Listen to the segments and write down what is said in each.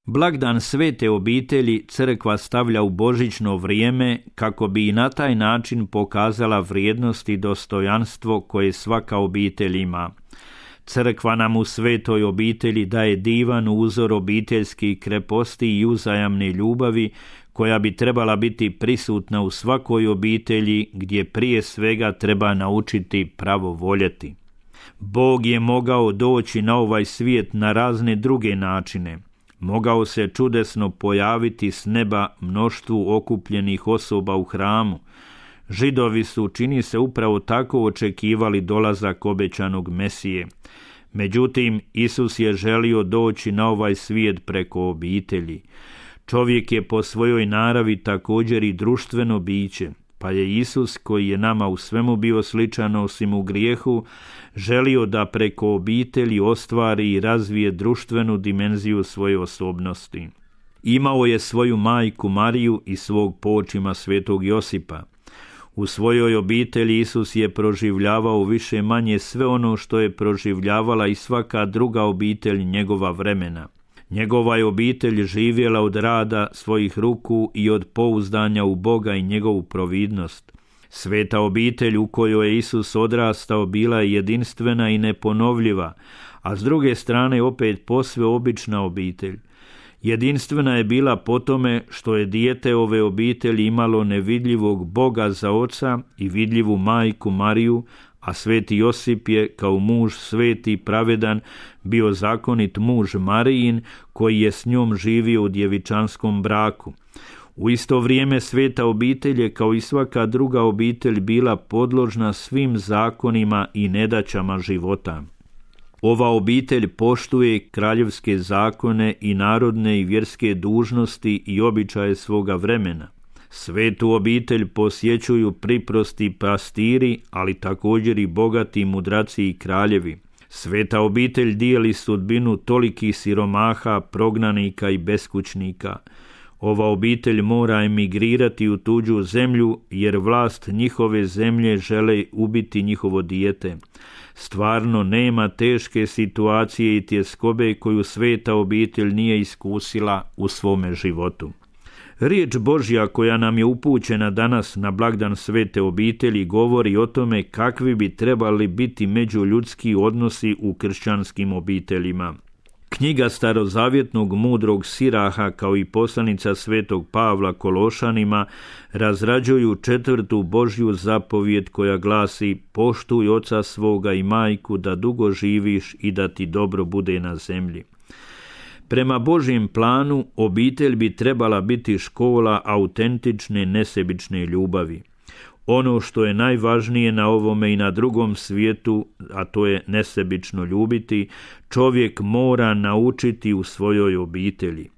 Blagdan svete obitelji crkva stavlja u božićno vrijeme kako bi i na taj način pokazala vrijednost i dostojanstvo koje svaka obitelj ima. Crkva nam u svetoj obitelji daje divan uzor obiteljskih kreposti i uzajamne ljubavi koja bi trebala biti prisutna u svakoj obitelji gdje prije svega treba naučiti pravo voljeti. Bog je mogao doći na ovaj svijet na razne druge načine. Mogao se čudesno pojaviti s neba mnoštvu okupljenih osoba u hramu. Židovi su, čini se, upravo tako očekivali dolazak obećanog Mesije. Međutim, Isus je želio doći na ovaj svijet preko obitelji. Čovjek je po svojoj naravi također i društveno biće, pa je Isus, koji je nama u svemu bio sličan osim u grijehu, želio da preko obitelji ostvari i razvije društvenu dimenziju svoje osobnosti. Imao je svoju majku Mariju i svog počima svetog Josipa. U svojoj obitelji Isus je proživljavao više manje sve ono što je proživljavala i svaka druga obitelj njegova vremena. Njegova je obitelj živjela od rada svojih ruku i od pouzdanja u Boga i njegovu providnost. Sveta obitelj u kojoj je Isus odrastao bila je jedinstvena i neponovljiva, a s druge strane opet posve obična obitelj. Jedinstvena je bila po tome što je dijete ove obitelji imalo nevidljivog Boga za oca i vidljivu majku Mariju, a sveti Josip je kao muž sveti i pravedan bio zakonit muž Marijin koji je s njom živio u djevičanskom braku. U isto vrijeme sveta obitelj je kao i svaka druga obitelj bila podložna svim zakonima i nedaćama života. Ova obitelj poštuje kraljevske zakone i narodne i vjerske dužnosti i običaje svoga vremena. Svetu obitelj posjećuju priprosti pastiri, ali također i bogati mudraci i kraljevi. Sveta obitelj dijeli sudbinu tolikih siromaha, prognanika i beskućnika. Ova obitelj mora emigrirati u tuđu zemlju, jer vlast njihove zemlje žele ubiti njihovo dijete. Stvarno nema teške situacije i tjeskobe koju sveta obitelj nije iskusila u svome životu. Riječ Božja koja nam je upućena danas na blagdan svete obitelji govori o tome kakvi bi trebali biti međuljudski odnosi u kršćanskim obiteljima. Knjiga starozavjetnog mudrog Siraha kao i poslanica svetog Pavla Kološanima razrađuju 4. Božju zapovijed koja glasi: poštuj oca svoga i majku da dugo živiš i da ti dobro bude na zemlji. Prema Božjem planu obitelj bi trebala biti škola autentične nesebične ljubavi. Ono što je najvažnije na ovome i na drugom svijetu, a to je nesebično ljubiti, čovjek mora naučiti u svojoj obitelji.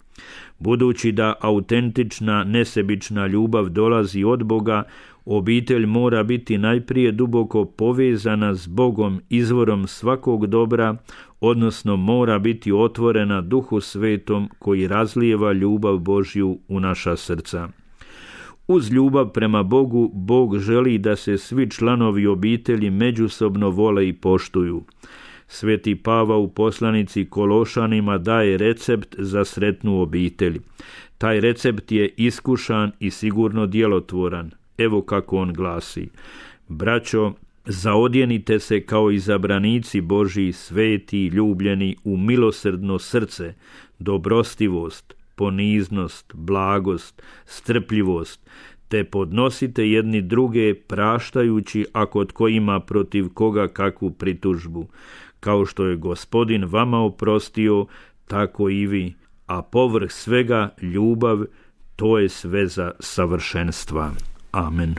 Budući da autentična nesebična ljubav dolazi od Boga, obitelj mora biti najprije duboko povezana s Bogom, izvorom svakog dobra, odnosno mora biti otvorena Duhu Svetom koji razlijeva ljubav Božju u naša srca. Uz ljubav prema Bogu, Bog želi da se svi članovi obitelji međusobno vole i poštuju. Sveti Pavao u poslanici Kološanima daje recept za sretnu obitelj. Taj recept je iskušan i sigurno djelotvoran. Evo kako on glasi: braćo, zaodjenite se kao izabranici Božji, sveti i ljubljeni, u milosrdno srce, dobrostivost, poniznost, blagost, strpljivost, te podnosite jedni druge praštajući ako tko ima protiv koga kakvu pritužbu. Kao što je Gospodin vama oprostio, tako i vi, a povrh svega ljubav, to je sveza savršenstva. Amen.